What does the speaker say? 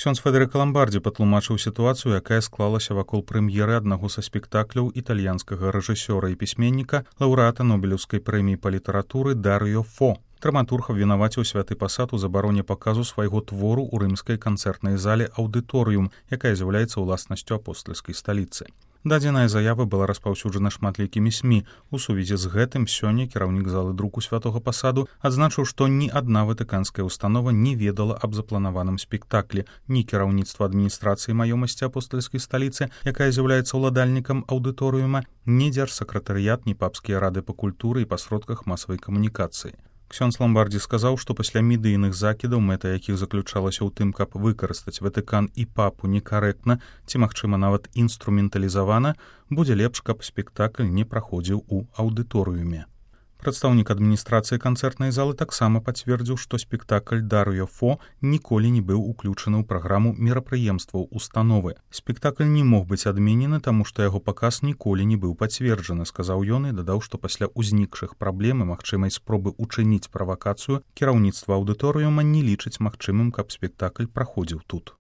Ксёндз Федэрыка Ламбардзі патлумачыў сітуацыю, якая склалася вакол прэм'еры аднаго са спектакляў італьянскага рэжысёра і пісьменніка, лаўрэата Нобелеўскай прэміі па літаратуры Дарыё Фо. Драматург абвінаваціў святы пасад у забароне паказу свайго твору ў рымскай канцэртнай зале «Аўдыторыум», якая з'яўляецца ўласнасцю апостальскай сталіцы. Дадзеная заява была распаўсюджана шматлікімі СМІ. У сувязі з гэтым сёння кіраўнік залы друку святога пасаду адзначыў, што ні адна ватыканская установа не ведала аб запланаваным спектаклі, ні кіраўніцтва адміністрацыі маёмасці апостальскай сталіцы, якая з'яўляецца ўладальнікам аўдыторыума, ні дзяржсакратарыят, ні папскія рады па культуры і па сродках масавай камунікацыі. Ксёндз Ламбардзі сказаў, што пасля медыйных закідаў, мэта якіх заключалася ў тым, каб выкарыстаць Ватыкан і папу некарэктна ці, магчыма, нават інструменталізавана, будзе лепш, каб спектакль не праходзіў у аўдыторыуме. Прадстаўнік адміністрацыі канцэртнай залы таксама пацвердзіў, што спектакль «Дарыё Фо» ніколі не быў уключаны ў праграму мерапрыемстваў установы. Спектакль не мог быць адменены, таму што яго паказ ніколі не быў пацверджаны, сказаў ён і дадаў, што пасля ўзнікшых праблем і магчымай спробы ўчыніць правакацыю кіраўніцтва аўдыторыума не лічыць магчымым, каб спектакль праходзіў тут.